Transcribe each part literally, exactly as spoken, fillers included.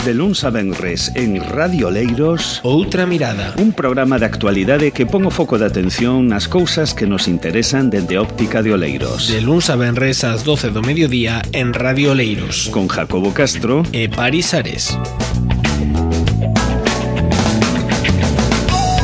De luns a venres en Radio Oleiros, Outra Mirada, un programa de actualidade que pon o foco de atención nas cousas que nos interesan dende óptica de Oleiros. De luns a venres ás doce do mediodía en Radio Oleiros, con Jacobo Castro e Paris Ares.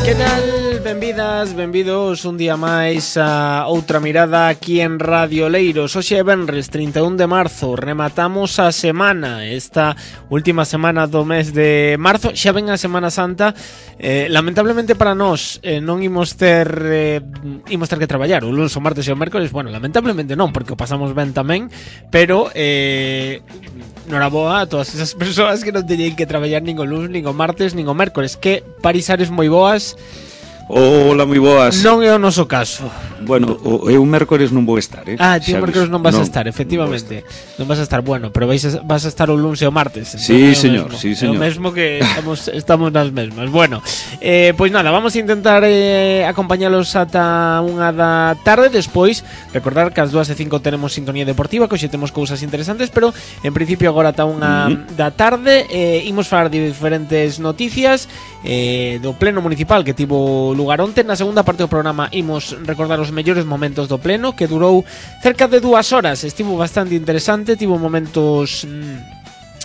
Que tal? Benvidas, benvidos un día máis a Outra Mirada aquí en Radio Oleiros. Hoxe é venres trinta e un de marzo, rematamos a semana, esta última semana do mes de marzo. Xa ven a Semana Santa, eh, lamentablemente para nós eh, non imos ter eh, imos ter que traballar o luns, o martes e o mércoles. Bueno, lamentablemente non, porque o pasamos ben tamén, pero eh, noraboa a todas esas persoas que non teñen que traballar nin o luns, nin o martes, nin o mércoles, que Paris Ares moi boas. Hola, moi boas. Non é o noso caso. Bueno, o, eu mércores non vou estar, eh? Ah, ti o mércores non vas non, a estar, efectivamente. Non, non vas a estar, bueno, pero vais a, vas a estar o luns e o martes. Sí, señor, sí, señor. É o mesmo que estamos, estamos nas mesmas. Bueno, eh, pois nada, vamos a intentar eh, acompañalos ata unha da tarde. Despois, recordar que ás dúas e cinco tenemos sintonía deportiva, que hoxe temos cousas interesantes, pero en principio agora ata unha uh-huh. da tarde eh, imos falar de diferentes noticias eh, do pleno municipal que tivo lugar onte. Na segunda parte do programa imos recordar os mellores momentos do pleno, que durou cerca de dúas horas. Estivo bastante interesante, tivo momentos mmm,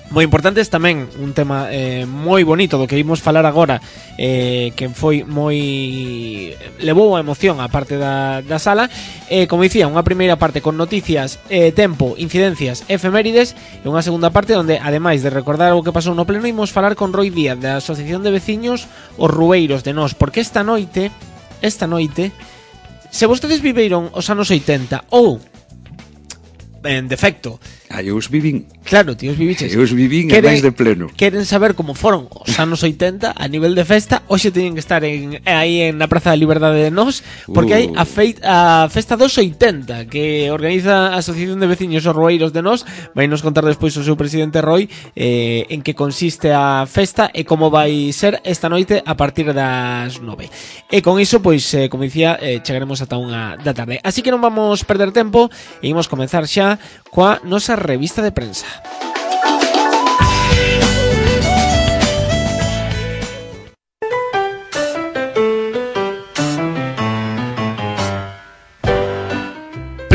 moi importantes, tamén un tema eh, moi bonito do que imos falar agora, eh, que foi moi levou a emoción a parte da, da sala. Eh, como dicía, unha primeira parte con noticias, eh, tempo, incidencias, efemérides, e unha segunda parte onde, ademais de recordar o que pasou no pleno, imos falar con Roi Díaz da Asociación de Veciños Os Rueiros de Nós, porque esta noite esta noite se vostedes viveron os anos oitenta ou en defecto, ah, eu os vivín. Claro, ti os viviches. Eu os vivín a máis de pleno. Queren saber como foron os anos oitenta a nivel de festa. Hoxe teñen que estar en, aí en na Praza da Liberdade de Nós, porque uh. hai a, feit, a festa dos oitenta que organiza a Asociación de Veciños Os Rueiros de Nós. Vai nos contar despois o seu presidente Roi eh, en que consiste a festa e como vai ser esta noite a partir das nove. E con iso, pois, eh, como dicía, eh, chegaremos ata unha da tarde. Así que non vamos perder tempo e imos comenzar xa coa nosa revista de prensa.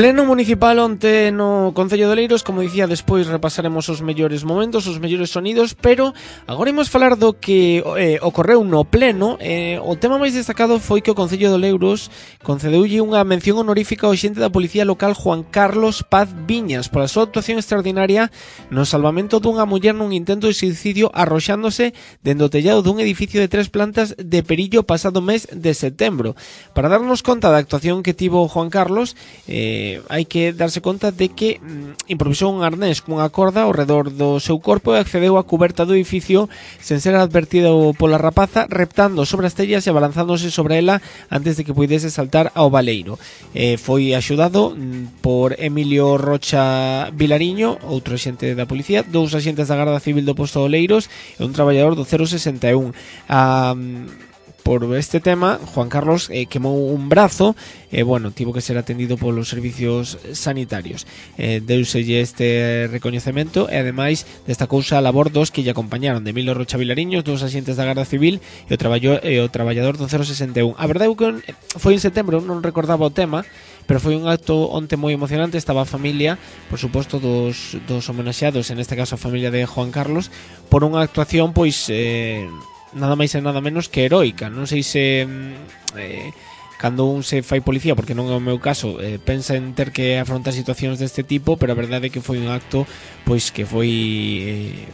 Pleno municipal onte no Concello de Oleiros. Como dicía, despois repasaremos os mellores momentos, os mellores sonidos, pero agora imos falar do que eh, ocorreu no pleno. Eh, o tema máis destacado foi que o Concello de Oleiros concedeulle unha mención honorífica ao xente da Policía Local Juan Carlos Paz Viñas pola súa actuación extraordinaria no salvamento dunha muller nun intento de suicidio arroxándose dende o tellado dun edificio de tres plantas de Perillo pasado mes de setembro. Para darnos conta da actuación que tivo Juan Carlos, eh, hai que darse conta de que mm, improvisou un arnés cunha corda ao redor do seu corpo e accedeu á cuberta do edificio sen ser advertido pola rapaza, reptando sobre as tellas e abalanzándose sobre ela antes de que puidese saltar ao baleiro. Eh, foi axudado mm, por Emilio Rocha Vilariño, outro axente da policía, dous axentes da Garda Civil do posto de Oleiros e un traballador do cero sesenta e un. A... Um, Por este tema, Juan Carlos eh, quemou un brazo e, eh, bueno, tivo que ser atendido polos servicios sanitarios. Eh, deuselle este recoñecemento e, ademais, destacouse a labor dos que lle acompañaron, de Emilio Rocha Vilariños, dos axentes da Garda Civil e o, traballo, e o traballador do cero sesenta e un. A verdade é que foi en setembro, non recordaba o tema, pero foi un acto onte moi emocionante. Estaba a familia, por suposto, dos, dos homenaxeados, en este caso a familia de Juan Carlos, por unha actuación, pois... Eh, nada máis e nada menos que heroica. Non sei se eh, cando un se fai policía, porque non é o meu caso, eh, pensa en ter que afrontar situacións deste tipo, pero a verdade é que foi un acto pois que foi eh,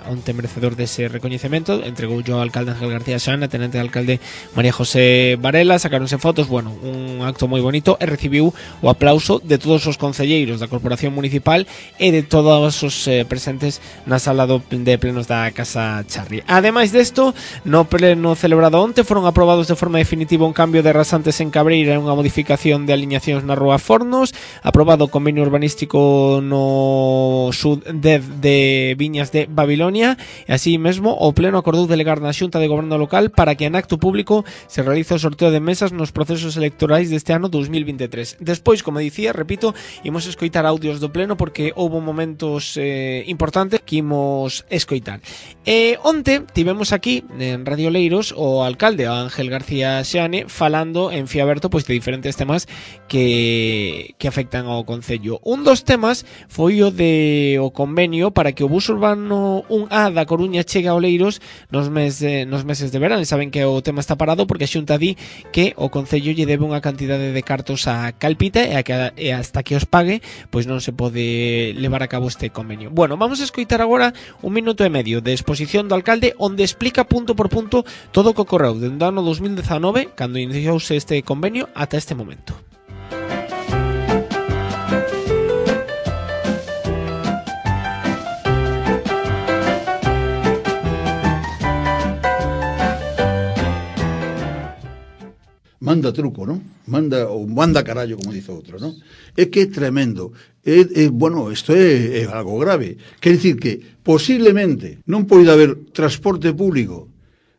onte merecedor dese recoñecemento. Entregou yo ao alcalde Ángel García Xana, tenente de alcalde María José Varela, sacaronse fotos, bueno, un acto moi bonito, e recibiu o aplauso de todos os concelleiros da Corporación Municipal e de todos os eh, presentes na sala do, de plenos da Casa Charri. Ademais desto, no pleno celebrado onte foron aprobados de forma definitiva un cambio de rasantes en Cabreira e unha modificación de aliñacións na Rúa Fornos, aprobado o convenio urbanístico no sud de, de Viñas de Babilonia Babilonia e así mesmo o Pleno acordou delegar na Xunta de Goberno Local para que en acto público se realice o sorteo de mesas nos procesos electorais deste ano dos mil veintitrés. Despois, como dicía, repito, imos escoitar audios do Pleno porque houve momentos eh, importantes que imos escoitar. E onte tivemos aquí en Radio Oleiros o alcalde Ángel García Xeane falando en Fiaberto pois de diferentes temas que, que afectan ao concello. Un dos temas foi o de o convenio para que o bus urbano un A da Coruña chegue a Oleiros nos, mes de, nos meses de verán. E saben que o tema está parado porque a Xunta di que o concello lle debe unha cantidade de cartos a Calpita e, a que, e hasta que os pague pois non se pode levar a cabo este convenio. Bueno, vamos a escoitar agora un minuto e medio de exposición do alcalde onde explica punto por punto todo o que ocorreu dende o ano dos mil dezanove, cando iniciouse este convenio, ata este momento. Manda truco, non? Manda, ou manda carallo, como dice outro, non? É que é tremendo. É, é, bueno, isto é, é algo grave. Quer dicir que, posiblemente, non poida haber transporte público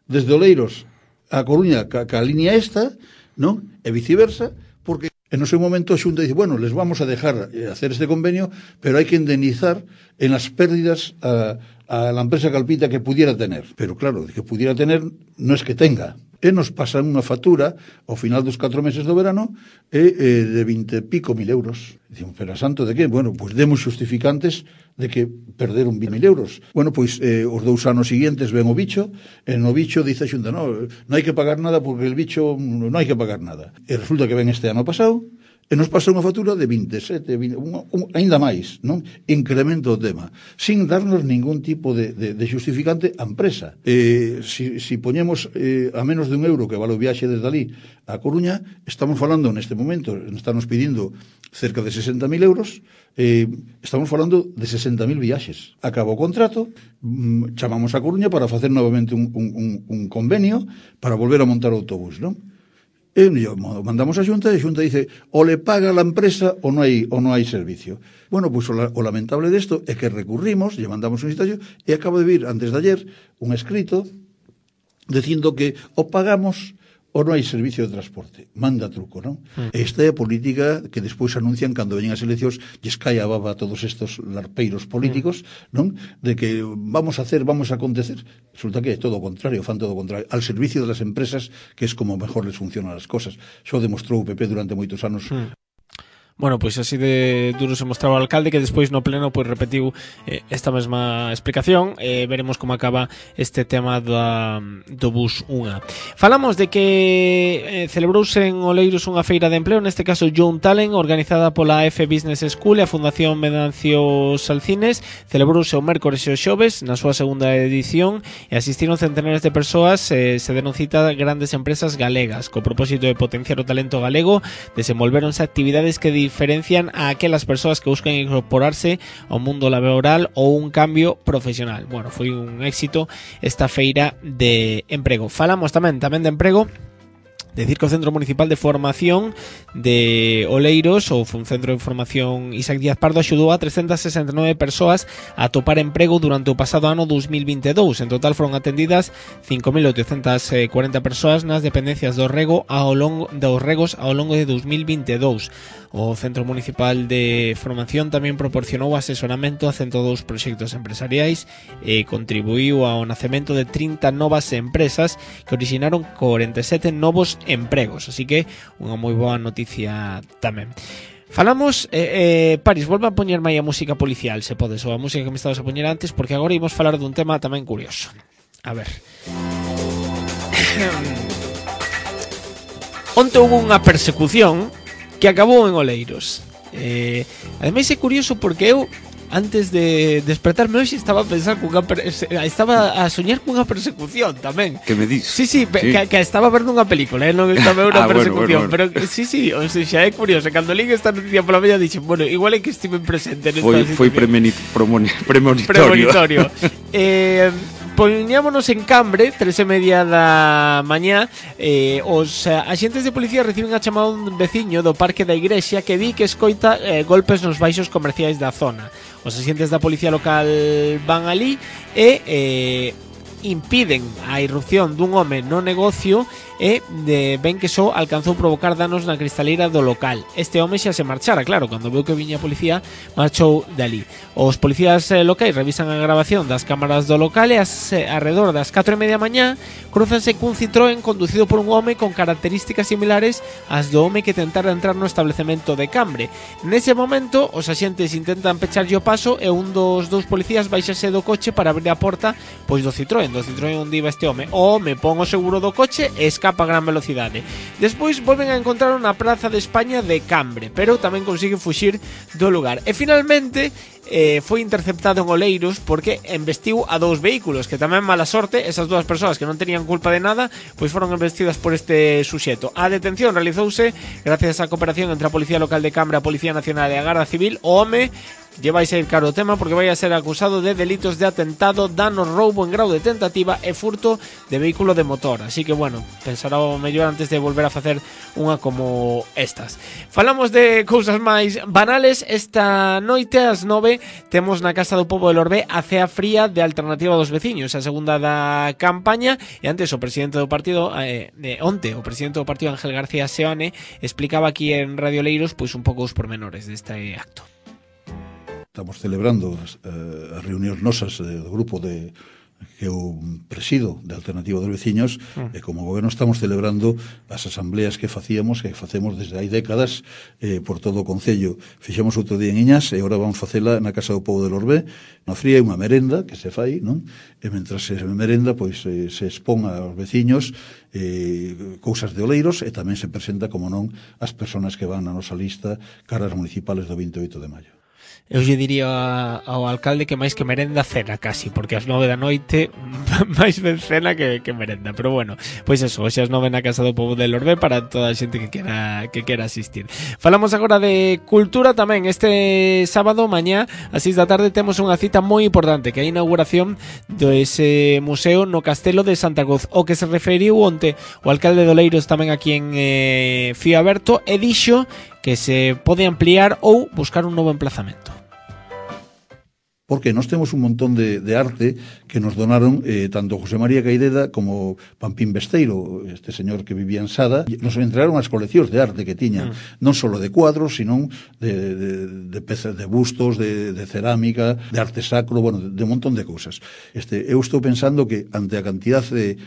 desde Oleiros a Coruña ca, ca línea esta, non? E viceversa, porque en o seu momento a Xunta dice, bueno, les vamos a dejar hacer este convenio, pero hai que indemnizar en las pérdidas a, a la empresa Calpita que pudiera tener. Pero claro, que pudiera tener non es que tenga. E nos pasan unha factura ao final dos catro meses do verano e, e de vinte e pico mil euros. Dicimos, pero a santo de que? Bueno, pois demos justificantes de que perderon vinte mil euros. Bueno, pois eh, os dous anos seguintes ven o bicho, e no bicho dice a Xunta, no, non hai que pagar nada porque el bicho non hai que pagar nada. E resulta que ven este ano pasado e nos pasa unha factura de veintesete, vinte, un, un, ainda máis, non? Incremento o tema, sin darnos ningún tipo de, de, de justificante á empresa. Eh, si, si poñemos eh, a menos de un euro que vale o viaxe desde ali a Coruña, estamos falando neste momento, estamos pedindo cerca de sesenta mil euros, eh, estamos falando de sesenta mil viaxes. Acaba o contrato, mm, chamamos a Coruña para facer novamente un, un, un, un convenio para volver a montar o autobús, non? E mandamos a Xunta e a Xunta dice o le paga a la empresa ou non hai, ou non hai servicio. Bueno, pois pues, o, o lamentable desto é que recurrimos, lle mandamos un citacio e acabo de vir antes de ayer un escrito dicindo que o pagamos ou non hai servicio de transporte. Manda truco, non? Mm. Esta é a política que despois anuncian cando veñen as eleccións, lles cae a baba a todos estos larpeiros políticos, mm. non? De que vamos a hacer, vamos a acontecer. Resulta que é todo o contrario, fan todo o contrario. Al servicio de las empresas, que es como mejor les funcionan as cosas. Xo demostrou o P P durante moitos anos. Mm. Bueno, pois así de duro se mostraba o alcalde, que despois no pleno pois repetiu eh, esta mesma explicación. eh, Veremos como acaba este tema da, do bus unha. Falamos de que eh, celebrouse en Oleiros unha feira de empleo, neste caso Young Talent, organizada pola F Business School e a Fundación Venancio Salcines. Celebrouse o mércores e o xoves na súa segunda edición e asistiron centenares de persoas. eh, Se deron cita grandes empresas galegas co propósito de potenciar o talento galego. Desenvolveronse actividades que diferencian a aquelas persoas que buscan incorporarse ao mundo laboral ou un cambio profesional. Bueno, foi un éxito esta feira de emprego. Falamos tamén tamén de emprego. Decir que o Centro Municipal de Formación de Oleiros, ou un Centro de Formación Isaac Díaz Pardo, axudou a trescentas sesenta e nove persoas a atopar emprego durante o pasado ano dos mil vinte e dous. En total foron atendidas cinco mil oitocentas cuarenta persoas nas dependencias do rego ao longo dos regos ao longo de dos mil vinte e dous. O Centro Municipal de Formación tamén proporcionou asesoramento a ciento dous proxectos empresariais e contribuiu ao nacemento de trinta novas empresas que originaron corenta e sete novos empregos, así que unha moi boa noticia tamén. Falamos, eh, eh, Paris, volve a poñerme aí a música policial, se podes, ou a música que me estabas a poñer antes, porque agora imos falar dun tema tamén curioso. A ver. Onte houve unha persecución que acabou en Oleiros. Eh, ademais é curioso porque eu antes de despertarme hoxe estaba a pensar cunha perse- estaba a soñar cunha persecución tamén. Que me dis? Sí, sí, pe- sí. Que, que estaba vendo unha película, eh? Non estaba vendo unha Ah, bueno, persecución, bueno, bueno. pero sí, sí, o sea, xa é curioso. Cando lín esta noticia pola media dixen, bueno, igual é que estive presente nesta Foi, foi situación. premoni, promoni, premonitorio. Premonitorio. eh, poñámonos en Cambre, tres e media da mañá. eh, Os eh, axentes de policía reciben a chamada un veciño do Parque da Igrexa que di que escoita eh, golpes nos baixos comerciais da zona. Os axentes da policía local van ali e eh, impiden a irrupción dun home no negocio e de, ven que só alcanzou provocar danos na cristaleira do local. Este home xa se marchara, claro, cando veu que viña a policía marchou dali. Os policías eh, locais revisan a grabación das cámaras do local e as, eh, alrededor das catro e media mañá cruzanse cun Citroën conducido por un home con características similares ás do home que tentara entrar no establecemento de Cambre. Nese momento os axentes intentan pecharlle o paso e un dos dous policías baixase do coche para abrir a porta pois do Citroën, do Citroën onde iba este home. O home pon o seguro do coche e escapa a gran velocidade. Despois volven a encontrar na Praza de España de Cambre, pero tamén consigue fuxir do lugar. E finalmente eh, foi interceptado en Oleiros porque embestiu a dous vehículos, que tamén mala sorte, esas dúas persoas que non tenían culpa de nada, pois foron embestidas por este suxeto. A detención realizouse gracias á cooperación entre a Policía Local de Cambre, a Policía Nacional e a Garda Civil. O home lle vai ser caro o tema porque vai a ser acusado de delitos de atentado, dano, roubo en grau de tentativa e furto de vehículo de motor. Así que, bueno, pensará o mellor antes de volver a facer unha como estas. Falamos de cousas máis banales. Esta noite, ás nove, temos na Casa do Pobo de Lorbé a cea fría de Alternativa dos Veciños, a segunda da campaña. E antes o presidente do partido, eh, eh, onte, o presidente do partido Ángel García Seoane explicaba aquí en Radio Leiros pois un pouco os pormenores deste acto. Estamos celebrando as, uh, as reunións nosas uh, do grupo de que eu presido de Alternativa dos Veciños mm. e como goberno estamos celebrando as asambleas que facíamos, que facemos desde hai décadas eh, por todo o Concello. Fixemos outro día en Iñas e agora vamos facela na Casa do Pobo de Lorbé. Na fría hai unha merenda que se fai, non? E mentras se merenda, pois eh, se expón aos veciños eh, cousas de Oleiros e tamén se presenta, como non, as persoas que van na nosa lista caras municipales do vinte e oito de maio. Eu lle diría ao alcalde que máis que merenda cena casi, porque ás nove da noite máis ben cena que, que merenda, pero bueno, pois eso, hoxe ás nove na Casa do Pobo de Lorbé para toda a xente que quera que quera asistir. Falamos agora de cultura tamén. Este sábado mañá ás seis da tarde temos unha cita moi importante, que é a inauguración do ese museo no Castelo de Santa Cruz, o que se referiu onte o alcalde de Oleiros tamén aquí en eh, Fío Aberto, e dixo que se pode ampliar ou buscar un novo emplazamento. Porque nós temos un montón de, de arte que nos donaron eh, tanto José María Caideda como Pampín Besteiro, este señor que vivía en Sada. Nos entregaron as coleccións de arte que tiñan, mm. non só de cuadros, sino de, de, de pezas de bustos, de, de cerámica, de arte sacro, bueno, de, de un montón de cousas. Este, eu estou pensando que ante a cantidad de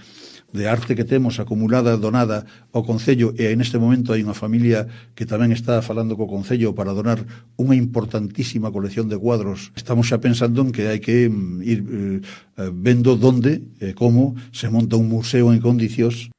de arte que temos acumulada, donada ao Concello, e neste momento hai unha familia que tamén está falando co Concello para donar unha importantísima colección de cuadros. Estamos xa pensando en que hai que ir eh, vendo donde e eh, como se monta un museo en condicións.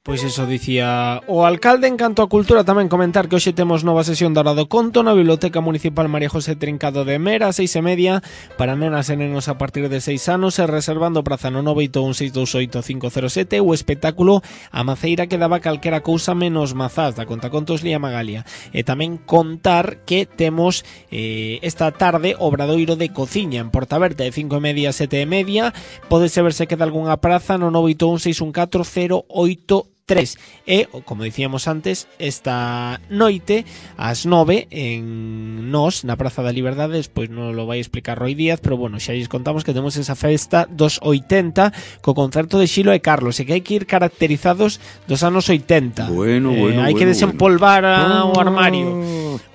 Pois iso dicía o alcalde. En canto a cultura, tamén comentar que hoxe temos nova sesión da Hora do Conto na Biblioteca Municipal María José Trincado de Mera, a seis e media, para nenas e nenos a partir de seis anos, e reservando praza no nove oito un seis dous oito cinco cero sete, o espectáculo A Maceira que daba calquera cousa menos mazás, da contacontos Lía Magalia. E tamén contar que temos eh, esta tarde obradoiro de cociña en Portaberta de cinco e media a sete e media. Podese ver se queda algunha praza no nove oito un seis un catro cero oito tres. E, como dicíamos antes, esta noite ás nove en Nos, na Praza da Liberdade, despois non lo vai explicar Roy Díaz, pero bueno, xa lles contamos que temos esa festa dos oitenta co concerto de Xilo e Carlos, e que hai que ir caracterizados dos anos oitenta. Bueno, eh, bueno, hai bueno, que desempolvar bueno. o armario.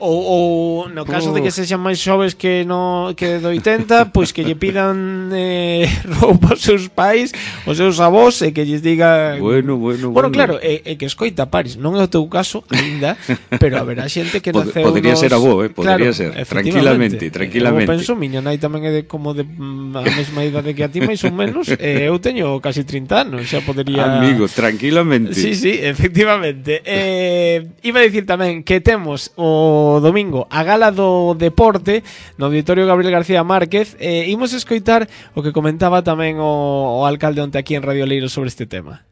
Ou, ou no caso de que sexan máis xoves que no que do oitenta, pois que lle pidan eh, roupa aos seus pais, aos seus avós, e que lles diga bueno, bueno, bueno, bueno. claro, é, é que escoita Paris, non é o teu caso ainda, pero haberá xente que Pod, naceu podría nos... ser avó, eh, podría claro, ser, tranquilamente, tranquilamente. Eu penso, miña nai tamén é de, como de a mesma idade que a ti, máis ou menos, e eu teño casi trinta anos, xa podería... Amigo, tranquilamente. Sí, sí, efectivamente. Eh, iba a dicir tamén que temos o domingo a gala do deporte no Auditorio Gabriel García Márquez. Eh, imos escoitar o que comentaba tamén o, o alcalde onte aquí en Radio Leiros sobre este tema.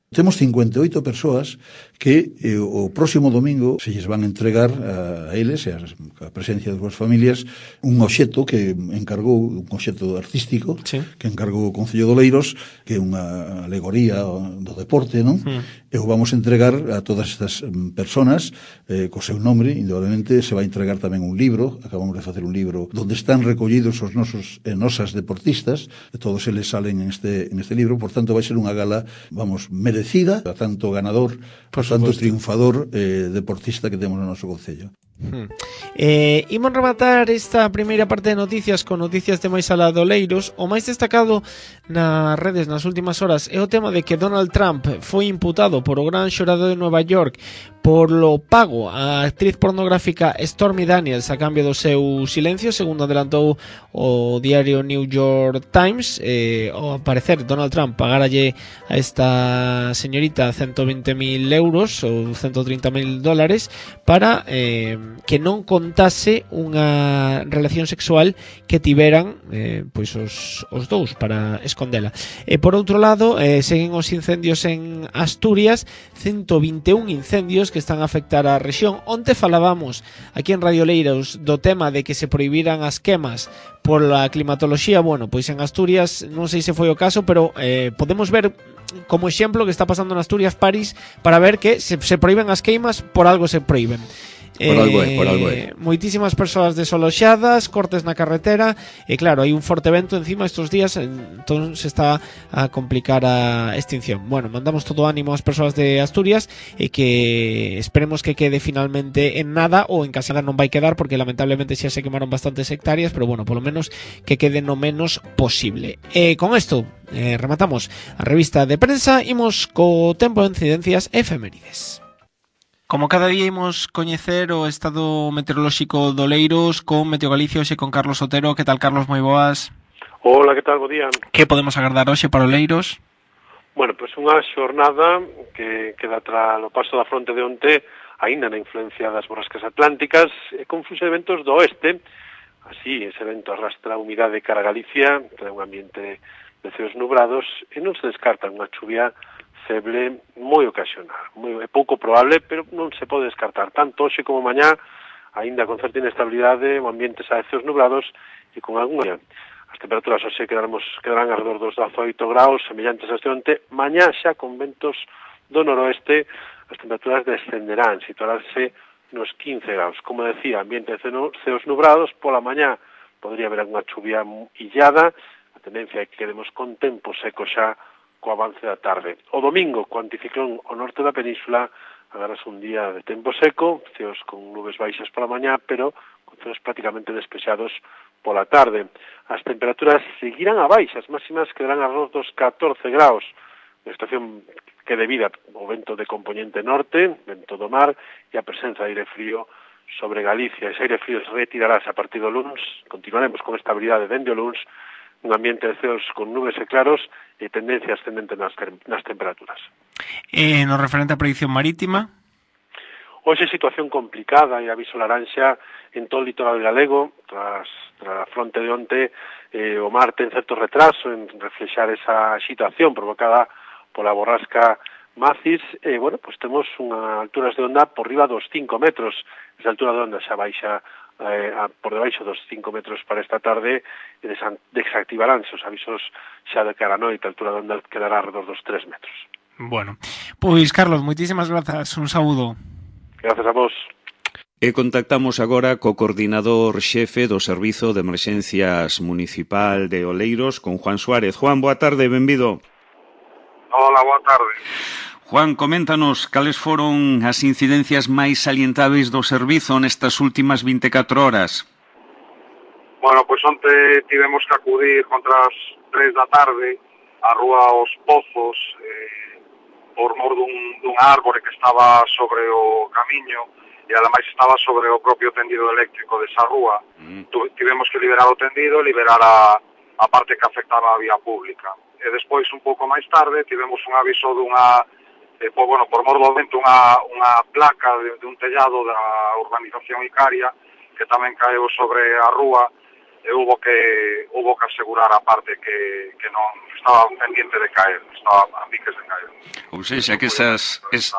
Temos cincuenta e oito persoas que eh, o próximo domingo se lles van a entregar a, a eles e a, a presencia das súas familias un obxecto que encargou, un obxecto artístico, sí, que encargou o Concello de Oleiros, que é unha alegoría do deporte, non? Mm. E o vamos a entregar a todas estas personas eh, co seu nome. Indudablemente se vai entregar tamén un libro, acabamos de facer un libro onde están recollidos os nosos e nosas deportistas, e todos eles salen en este, en este libro. Por tanto vai ser unha gala, vamos, merecida a tanto ganador, por tanto triunfador eh, deportista que temos no noso concello. Hmm. Eh, imos rematar esta primeira parte de noticias con noticias de máis alá de Oleiros. O máis destacado nas redes nas últimas horas é o tema de que Donald Trump foi imputado por o gran xurado de Nova York por lo pago a actriz pornográfica Stormy Daniels a cambio do seu silencio, segundo adelantou o diario New York Times. Eh, ao parecer Donald Trump pagaralle a esta señorita ciento veinte mil euros ou ciento trinta mil dólares para eh, que non contase unha relación sexual que tiveran eh, pois os, os dous para escondela. E por outro lado, eh, seguen os incendios en Asturias, ciento vinte e un incendios que están a afectar a rexión. Onte falábamos aquí en Radio Oleiros do tema de que se prohibiran as quemas pola climatoloxía. Bueno, pois en Asturias non sei se foi o caso, pero eh, podemos ver como exemplo que está pasando en Asturias, París, para ver que se, se prohíben as queimas, por algo se prohíben. Por algo é, por algo é. Moitísimas persoas desaloxadas, cortes na carretera, e claro, hai un forte vento encima estes días, entón se está a complicar a extinción. Bueno, mandamos todo ánimo ás persoas de Asturias e que esperemos que quede finalmente en nada, ou en Casela non vai quedar porque lamentablemente xa se quemaron bastantes hectáreas, pero bueno, polo menos que quede no menos posible. E con isto eh, rematamos a revista de prensa, imos co tempo de incidencias efemérides. Como cada día imos coñecer o estado meteorolóxico de Oleiros con Meteo Galicia hoxe con Carlos Otero. Que tal, Carlos? Moi boas. Hola, que tal? Bo día. Que podemos agardar hoxe para Oleiros? Bueno, pois pues unha xornada que queda tras o paso da fronte de onte, aínda na influencia das borrascas atlánticas, e con fluxo de ventos do oeste. Así, ese vento arrastra a humidade cara a Galicia, trae un ambiente de ceos nubrados, e non se descarta unha chuvia feble moi ocasional, moi, é pouco probable, pero non se pode descartar. Tanto hoxe como mañá, aínda con certa inestabilidade, o ambiente xa de ceos nublados e con algunha. As temperaturas hoxe quedaremos, quedarán alrededor dos dezaoito graus, semellantes a este onte. Mañá xa con ventos do noroeste, as temperaturas descenderán, situaránse nos quince graus. Como decía, ambiente de ceos nubrados, pola mañá podría haber algunha chuvia illada, a tendencia é que quedemos con tempo seco xa co avance da tarde. O domingo, co anticiclón ao norte da península, agarras un día de tempo seco, ceos con nubes baixas pola mañá, pero con ceos prácticamente despexados pola tarde. As temperaturas seguirán a baixas, máximas quedarán alrededor dos catorce graus. A estación que debida ao vento de componente norte, vento do mar, e a presenza de aire frío sobre Galicia. Ese aire frío se retirarás a partir do luns, continuaremos con estabilidade dende o luns, un ambiente de ceos con nubes e claros e tendencia ascendente nas, nas temperaturas. E no referente á predicción marítima? Hoxe situación complicada e aviso laranxa en todo o litoral galego, tras, tras a fronte de onte, eh, o mar ten certo retraso en reflexar esa situación provocada pola borrasca Macis, e, eh, bueno, pues temos unha alturas de onda por riba dos cinco metros, esa altura de onda xa baixa Eh, a, por debaixo dos cinco metros para esta tarde, e desactivaránse os avisos xa de cara a noite, a altura de onda quedará alrededor dos tres metros. Bueno, pois Carlos, moitísimas grazas, un saúdo. Grazas a vos. E contactamos agora co coordinador xefe do Servizo de Emerxencias Municipal de Oleiros, con Juan Suárez. Juan, boa tarde, benvido. Hola, boa tarde. Juan, coméntanos cales foron as incidencias máis salientáveis do servizo nestas últimas vinte e catro horas. Bueno, pois onte tivemos que acudir contra as tres da tarde á rúa Os Pozos eh, por mor dun, dun árbore que estaba sobre o camiño e ademais estaba sobre o propio tendido eléctrico desa rúa. Mm. Tivemos que liberar o tendido e liberar a, a parte que afectaba a vía pública. E despois, un pouco máis tarde, tivemos un aviso dunha Eh, por, bueno, por mor do vento unha, unha placa de, de un tellado da urbanización Icaria que tamén caeu sobre a rúa, e hubo que hubo que asegurar a parte que, que non estaba pendiente de caer, estaba a piques de caer. Ou seja, que esas, es,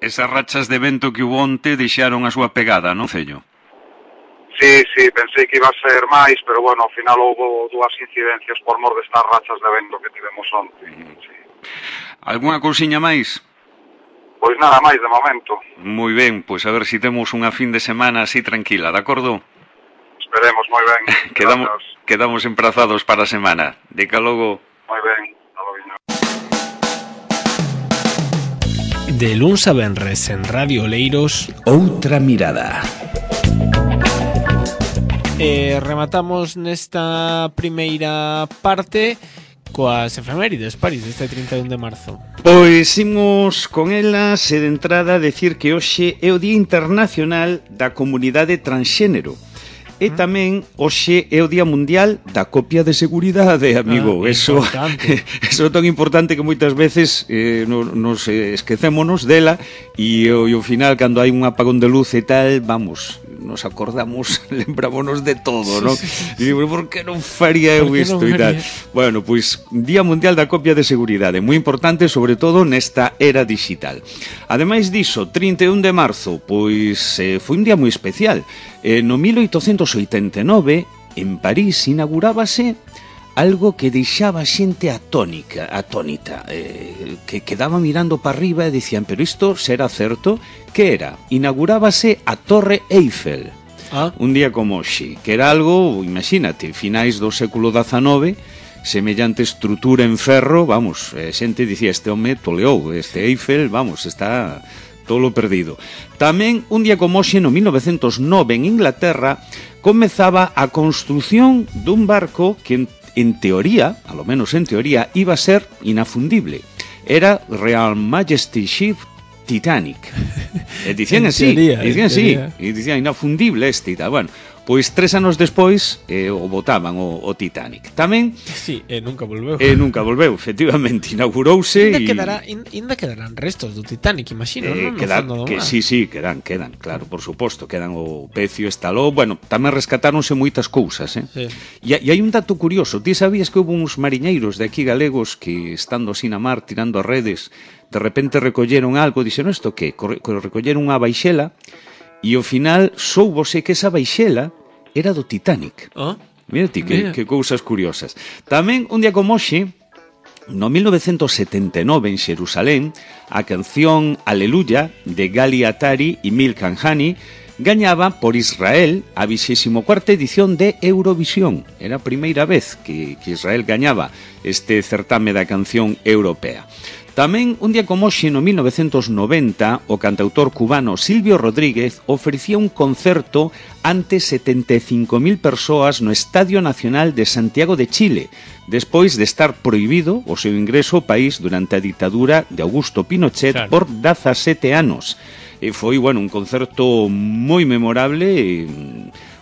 esas rachas de vento que hubo onte deixaron a súa pegada, non, Cello? Sí, sí, pensei que iba a ser máis, pero bueno, ao final houve dúas incidencias por mor destas rachas de vento que tivemos onte. Sí. Alguna cousiña máis? Pois nada máis de momento. Moi ben, pois a ver se si temos unha fin de semana así tranquila, de acordo? Esperemos, moi ben. quedamos, quedamos emprazados para a semana. De que logo... Moi ben, alo viño. De luns a venres en Radio Oleiros, Outra mirada. E rematamos nesta primeira parte coas efemérides, París, deste trinta e un de marzo. Pois imos con elas e de entrada decir que hoxe é o Día Internacional da Comunidade Transxénero. E tamén hoxe é o Día Mundial da Copia de Seguridade, amigo. Ah, eso, eso é tan importante que moitas veces eh, no, nos esquecémonos dela e ao final, cando hai un apagón de luz e tal, vamos, nos acordamos, lembrámonos de todo, ¿no? Sí, sí, sí. E digo, por que non faría eu isto e tal? Bueno, pois, Día Mundial da Copia de Seguridade, moi importante, sobre todo nesta era digital. Ademais diso, trinta e un de marzo, pois, eh, foi un día moi especial. Eh, no mil oitocentos oitenta e nove, en París, inaugurábase algo que deixaba a xente atónica, atónita, eh, que quedaba mirando para arriba e dicían, pero isto será certo? Que era? Inaugurábase a Torre Eiffel, ah. un día como hoxe, que era algo, imagínate, finais do século dezanove, semellante estrutura en ferro, vamos, a xente dicía, este home toleou, este Eiffel, vamos, está todo perdido. Tamén, un día como hoxe, no mil novecentos nove, en Inglaterra, comezaba a construción dun barco que en en teoría, a lo menos en teoría, iba a ser inafundible. Era Real Majesty Ship Titanic. E dicían así, teoría, dicían así, e dicían inafundible este e tal. Bueno, pois tres anos despois eh, o botaban o, o Titanic. Tamén... Sí, e nunca volveu. E nunca volveu, efectivamente, inaugurouse e... Quedará, ainda quedarán restos do Titanic, imagino, eh, non? Quedan, no que sí, sí, quedan, quedan, claro, por suposto, quedan o pecio estalou, bueno, tamén rescatáronse moitas cousas, eh? Sí. E, e hai un dato curioso, ti sabías que houve uns mariñeiros de aquí galegos que, estando así na mar, tirando as redes, de repente recolleron algo, dixeron, isto que? Recolleron unha baixela, e ao final soubose que esa baixela era do Titanic. Oh, mira ti, que, que cousas curiosas. Tamén, un día como hoxe, no mil novecentos setenta e nove, en Xerusalén, a canción Aleluya, de Gali Atari e Milk and Honey, gañaba por Israel a vixésima cuarta edición de Eurovisión. Era a primeira vez que, que Israel gañaba este certame da canción europea. Tamén, un día como hoxe, no mil novecentos noventa, o cantautor cubano Silvio Rodríguez ofrecía un concerto ante setenta e cinco mil persoas no Estadio Nacional de Santiago de Chile, despois de estar prohibido o seu ingreso ao país durante a ditadura de Augusto Pinochet, claro, por dezasete anos. E foi, bueno, un concerto moi memorable e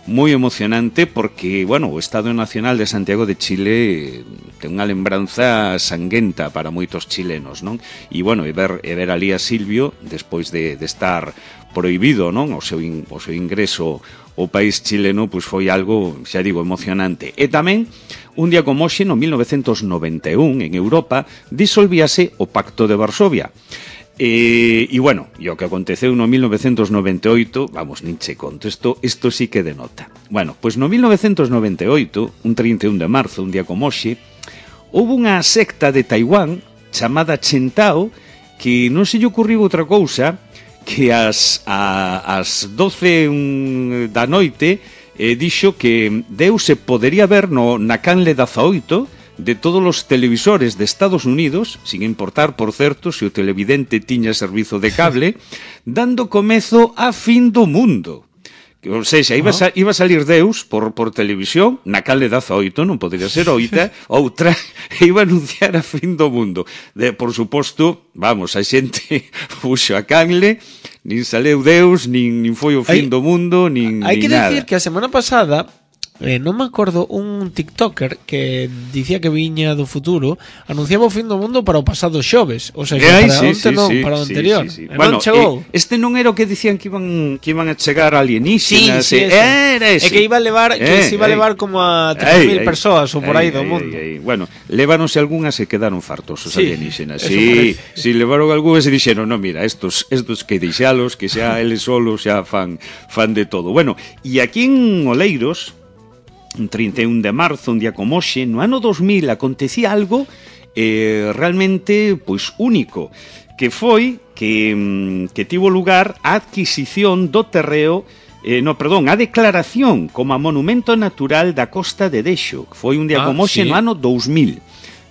moi emocionante porque, bueno, o Estadio Nacional de Santiago de Chile ten unha lembranza sanguenta para moitos chilenos, non? E, bueno, e ver, e ver ali a Silvio despois de, de estar prohibido, non? O seu, in, o seu ingreso ao país chileno, pois foi algo, xa digo, emocionante. E tamén, un día como hoxe, no mil novecentos noventa e un, en Europa, disolvíase o Pacto de Varsovia. E, e bueno, e o que aconteceu no mil novecentos noventa e oito, vamos, nin che conto, isto, isto sí que denota. Bueno, pois no mil novecentos noventa e oito, un trinta e un de marzo, un día como hoxe, houve unha secta de Taiwán chamada Chentao que non se lle ocurriu outra cousa que as, a, as doce da noite eh, dixo que Deus se podería ver no, na canle dezaoito de todos os televisores de Estados Unidos, sin importar, por certo, se o televidente tiña servizo de cable, dando comezo a fin do mundo. O seja, iba, a, iba a salir Deus por, por televisión, na canle dezaoito, non podería ser oita, outra, e iba a anunciar a fin do mundo. De, por suposto, vamos, a xente puxo a canle, nin saleu Deus, nin, nin foi o fin hai, do mundo, nin, hai nin que nada. decir que a semana pasada eh, non me acordo un tiktoker que dicía que viña do futuro, anunciaba o fin do mundo para o pasado xoves, o sea, que Ai, para sí, onte sí, non, sí, para o sí, anterior. sí, sí. E Bueno, non chegou. eh, este non era o que dicían que iban que iban a chegar alienígenas, Sí, sí, eh, eso. era ese. É que iba a levar, que Eh, se iba a eh. levar como a tres mil persoas ou por aí do mundo. Ei, ei. Bueno, levaronse algunhas e quedaron fartos os Sí, alienígenas. eso Sí, parece. si levaron algunhas e dixeron, no, mira, estos estos que deixalos, que xa eles solos xa fan fan de todo. Bueno, e aquí en Oleiros, un trinta e un de marzo, un día como hoxe, no ano dos mil acontecía algo eh, realmente pois único, que foi que, que tivo lugar a adquisición do terreo Eh, no, perdón, a declaración como a monumento natural da Costa de Dexo, que foi un día Ah, como hoxe sí. no ano dous mil,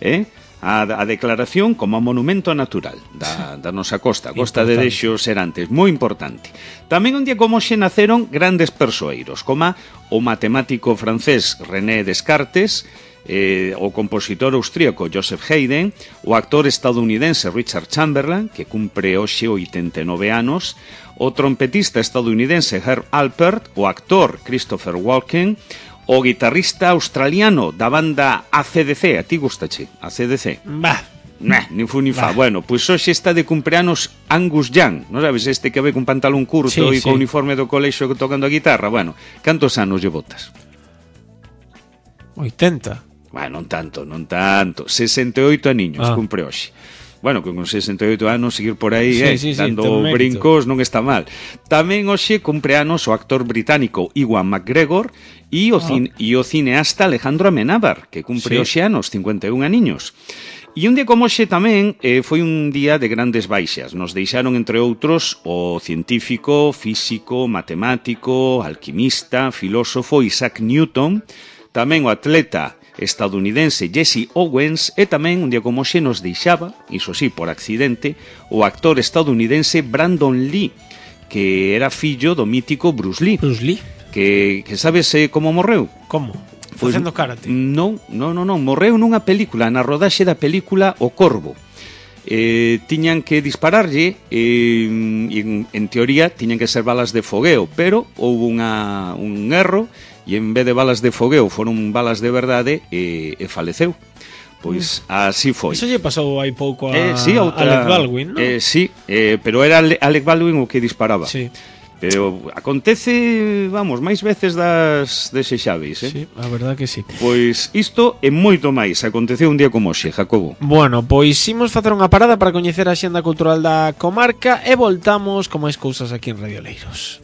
eh? A, a declaración como a monumento natural da, da nosa costa, a Costa de Dexo Serantes, moi importante. Tamén un día como hoxe naceron grandes persoeiros, como o matemático francés René Descartes, eh, o compositor austríaco Joseph Haydn, o actor estadounidense Richard Chamberlain, que cumpre hoxe oitenta e nove anos, o trompetista estadounidense Herb Alpert, o actor Christopher Walken, o guitarrista australiano da banda A C D C, a ti gustache, A C D C? Bah. Nah, ni fu ni fa. Bah. Bueno, pois pues hoxe está de cumpleanos Angus Young, non sabes, este que ve con pantalón curto Sí, e sí. con uniforme do colexio tocando a guitarra. Bueno, cantos anos lle botas? oitenta. Bueno, non tanto, non tanto. sesenta e oito aniños Ah. cumpre hoxe. Bueno, que con sesenta e oito anos seguir por aí, Sí, eh, sí, sí, dando ten mérito. brincos non está mal. Tamén hoxe cumpre anos o actor británico Ewan McGregor e o, Ah. cin e o cineasta Alejandro Amenábar, que cumpre Sí. hoxe anos, cincuenta e un aniños. E un día como hoxe tamén eh, foi un día de grandes baixas. Nos deixaron, entre outros, o científico, físico, matemático, alquimista, filósofo Isaac Newton, tamén o atleta estadounidense Jesse Owens e tamén un día como hoxe nos deixaba, iso sí, por accidente, o actor estadounidense Brandon Lee, que era fillo do mítico Bruce Lee, Bruce Lee. que, que sabes eh, como morreu? Como? Pois, Facendo karate. Non, non, non, non, morreu nunha película, na rodaxe da película O Corvo. Eh, tiñan que dispararlle e, en, en teoría tiñan que ser balas de fogueo, pero houve unha, un erro e en vez de balas de fogueo foron balas de verdade e, e faleceu. Pois así foi. Eso lle pasou hai pouco a Eh, sí, outra, Alec Baldwin, non? eh, sí, eh, pero era Ale- Alec Baldwin o que disparaba. Sí. Pero acontece, vamos, máis veces das desexáveis, eh? Sí, a verdad que sí. Pois isto e moito máis aconteceu un día como hoxe, Jacobo. Bueno, pois imos facer unha parada para coñecer a xenda cultural da comarca e voltamos con máis cousas aquí en Radio Oleiros.